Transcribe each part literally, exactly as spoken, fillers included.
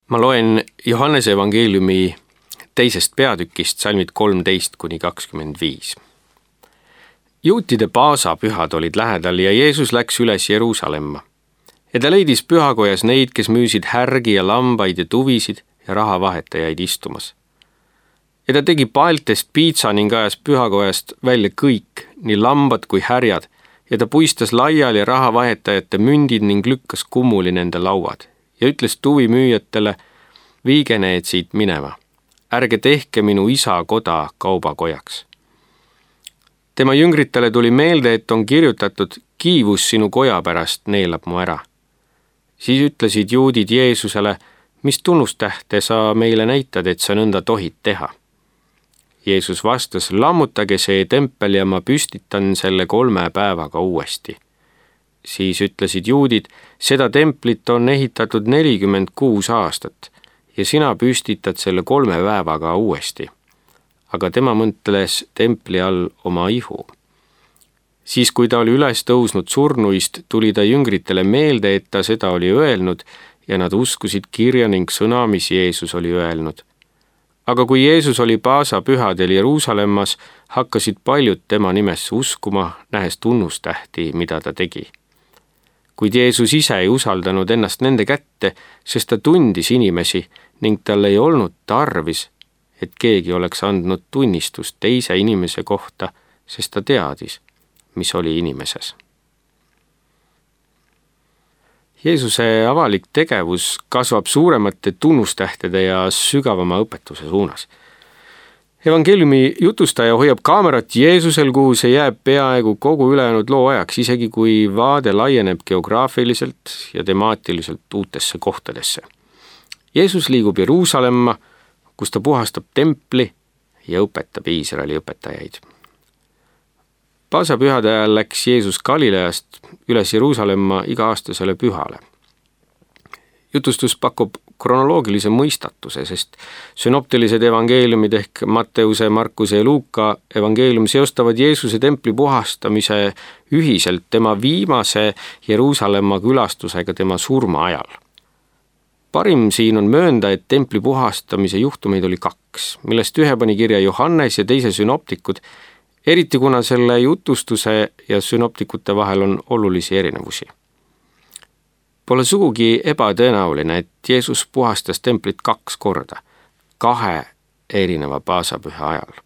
Ma loen Johannese evangeeliumi teisest peatükist salmid kolmteist kuni kakskümmend viis. Juutide paasapühad olid lähedal ja Jeesus läks üles Jeruusalemma. Ja ta leidis pühakojas neid, kes müüsid härgi ja lambaid ja tuvisid ja rahavahetajaid istumas. Ja ta tegi paeltest piitsa ning ajas pühakojast välja kõik, nii lambad kui härjad, ja ta puistas laiali rahavahetajate mündid ning lükkas kummuli nende lauad ja ütles tuvimüüjatele, viige need siit minema, ärge tehke minu isa koda kaubakojaks. Tema jüngritele tuli meelde, et on kirjutatud, kiivus sinu koja pärast neelab mu ära. Siis ütlesid juudid Jeesusele, mis tunnustähte sa meile näitad, et sa nõnda tohid teha. Jeesus vastas, lammutage see tempel ja ma püstitan selle kolme päevaga uuesti. Siis ütlesid juudid, seda templit on ehitatud nelikümmend kuus aastat ja sina püstitad selle kolme päevaga uuesti. Aga tema mõtles templi all oma ihu. Siis, kui ta oli üles tõusnud surnuist, tuli ta jüngritele meelde, et ta seda oli öelnud ja nad uskusid kirja ning sõna, mis Jeesus oli öelnud. Aga kui Jeesus oli paasapühadel Jeruusalemmas, hakkasid paljud tema nimesse uskuma, nähes tunnustähti, mida ta tegi. Kuid Jeesus ise ei usaldanud ennast nende kätte, sest ta tundis inimesi ning tal ei olnud tarvis, et keegi oleks andnud tunnistust teise inimese kohta, sest ta teadis, mis oli inimeses. Jeesuse avalik tegevus kasvab suuremate tunnustähtede ja sügavama õpetuse suunas. Evangeeliumi jutustaja hoiab kaamerat Jeesusel, kuhu see jääb peaaegu kogu ülejäänud loo ajaks, isegi kui vaade laieneb geograafiliselt ja temaatiliselt uutesse kohtadesse. Jeesus liigub Jeruusalemma, kus ta puhastab templi ja õpetab Iisraeli õpetajaid. Paasapühade ajal läks Jeesus Galileast üles Jeruusalemma iga-aastasele pühale. Jutustus pakub kronoloogilise mõistatuse, sest synoptilised evangeeliumid ehk Matteuse, Markuse ja Luuka evangeelium seostavad Jeesuse templi puhastamise ühiselt tema viimase Jeruusalemma külastusega tema surma ajal. Parim siin on möönda, et templi puhastamise juhtumeid oli kaks, millest ühe pani kirja Johannes ja teise synoptikud, eriti kuna selle jutustuse ja synoptikute vahel on olulisi erinevusi. Pole sugugi ebatõenäoline, et Jeesus puhastas templit kaks korda, kahe erineva paasapüha ajal.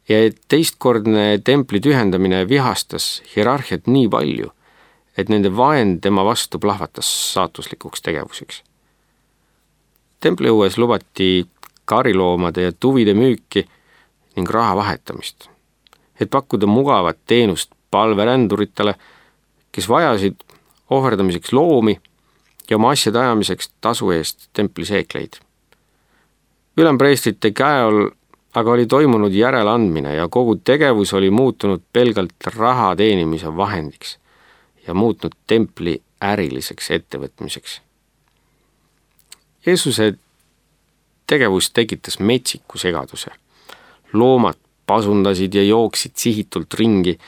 Ja et teistkordne templi tühendamine vihastas hierarhiat nii palju, et nende vaen tema vastu plahvatas saatuslikuks tegevuseks. Templi õues lubati kariloomade ja tuvide müüki ning raha vahetamist, et pakkuda mugavat teenust palveränduritele, kes vajasid ohverdamiseks loomi ja oma asjade ajamiseks tasu eest templi seekleid. Ülempreestrite käe all aga oli toimunud järeleandmine ja kogu tegevus oli muutunud pelgalt raha teenimise vahendiks ja muutnud templi äriliseks ettevõtmiseks. Jeesuse tegevus tekitas metsiku segaduse. Loomad pasundasid ja jooksid sihitult ringi,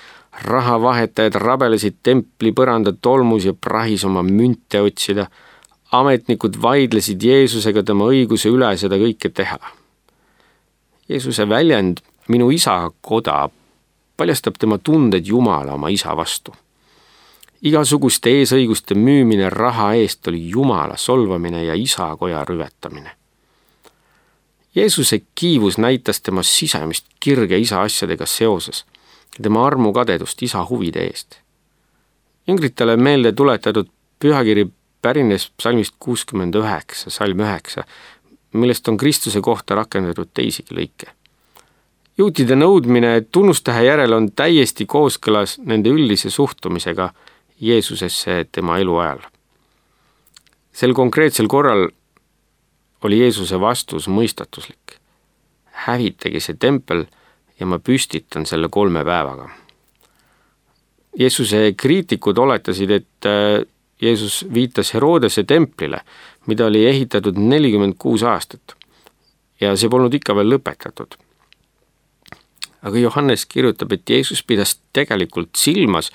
rahavahetajad rabelesid templi põranda tolmus ja prahis oma münte otsida, ametnikud vaidlesid Jeesusega tema õiguse üle seda kõike teha. Jeesuse väljend minu isa koda paljastab tema tunded Jumala oma isa vastu. Igasuguste eesõiguste müümine raha eest oli Jumala solvamine ja isa koja rüvetamine. Jeesuse kiivus näitas tema sisemist kirge isa asjadega seoses ja tema armu kadedust isa huvide eest. Jüngritele meelde tuletatud pühakiri pärines psalmist kuuskümmend üheksa, salm üheksa, millest on Kristuse kohta rakendatud teisigi lõike. Juutide nõudmine tunnustähe järel on täiesti kooskõlas nende üldise suhtumisega Jeesusesse tema elu ajal. Sel konkreetsel korral oli Jeesuse vastus mõistatuslik. Hävitage see tempel ja ma püstitan selle kolme päevaga. Jeesuse kriitikud oletasid, et Jeesus viitas Herodese templile, mida oli ehitatud nelikümmend kuus aastat ja see polnud ikka veel lõpetatud. Aga Johannes kirjutab, et Jeesus pidas tegelikult silmas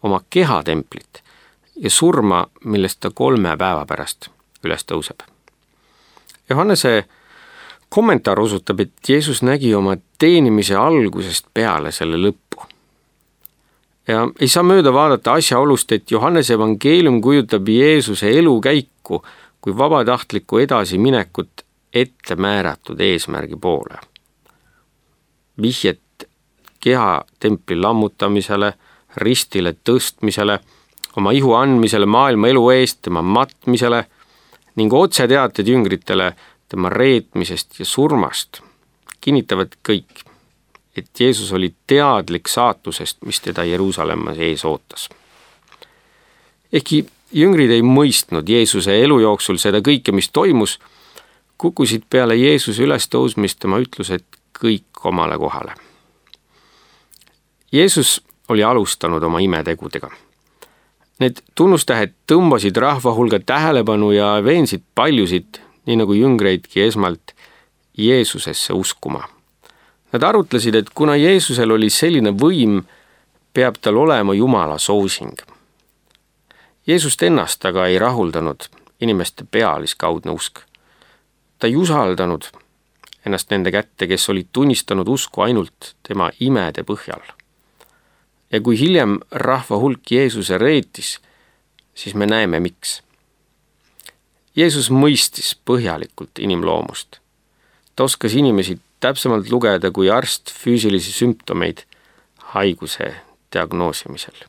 oma kehatemplit ja surma, millest ta kolme päeva pärast üles tõuseb. Johannese kommentaar osutab, et Jeesus nägi oma teenimise algusest peale selle lõppu. Ja ei saa mööda vaadata asjaolust, et Johannese evangeelium kujutab Jeesuse elukäiku kui vabatahtlikku edasiminekut ette määratud eesmärgi poole. Vihjet keha templi lammutamisele, ristile tõstmisele, oma ihu andmisele maailma elu eest, tema matmisele ning otseteated jüngritele tema reetmisest ja surmast kinnitavad kõik, et Jeesus oli teadlik saatusest, mis teda Jeruusalemmas ees ootas. Ehkki jüngrid ei mõistnud Jeesuse elu jooksul seda kõike, mis toimus, kukkusid peale Jeesuse ülestõusmist tema ütlused kõik omale kohale. Jeesus oli alustanud oma imetegudega. Need tunnustähed tõmbasid rahva hulga tähelepanu ja veensid paljusid, nii nagu jüngreidki esmalt, Jeesusesse uskuma. Nad arutlesid, et kuna Jeesusel oli selline võim, peab tal olema Jumala soosing. Jeesust ennast aga ei rahuldanud inimeste pealiskaudne usk. Ta ei usaldanud ennast nende kätte, kes olid tunnistanud usku ainult tema imede põhjal. Ja kui hiljem rahva hulk Jeesuse reetis, siis me näeme, miks. Jeesus mõistis põhjalikult inimloomust. Ta oskas inimesi täpsemalt lugeda kui arst füüsilisi sümptomeid haiguse diagnoosimisel.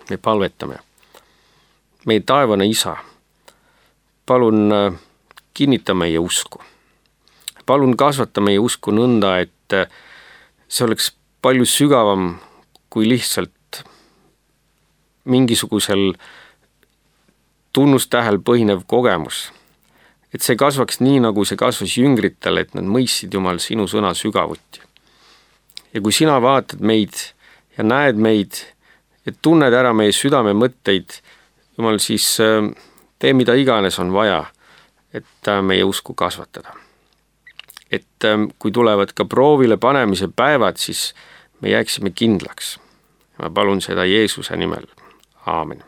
Me palvetame. Meie taevane Isa, palun kinnita meie usku. Palun kasvata meie usku nõnda, et see oleks palju sügavam kui lihtsalt mingisugusel tunnustähel põhinev kogemus. Et see kasvaks nii, nagu see kasvas jüngritel, et nad mõistsid Jumal sinu sõna sügavuti. Ja kui sina vaatad meid ja näed meid ja tunned ära meie südame mõtteid, Jumal, siis tee mida iganes on vaja, et meie usku kasvatada. Et kui tulevad ka proovile panemise päevad, siis me jääksime kindlaks. Ma palun seda Jeesuse nimel. Aamen.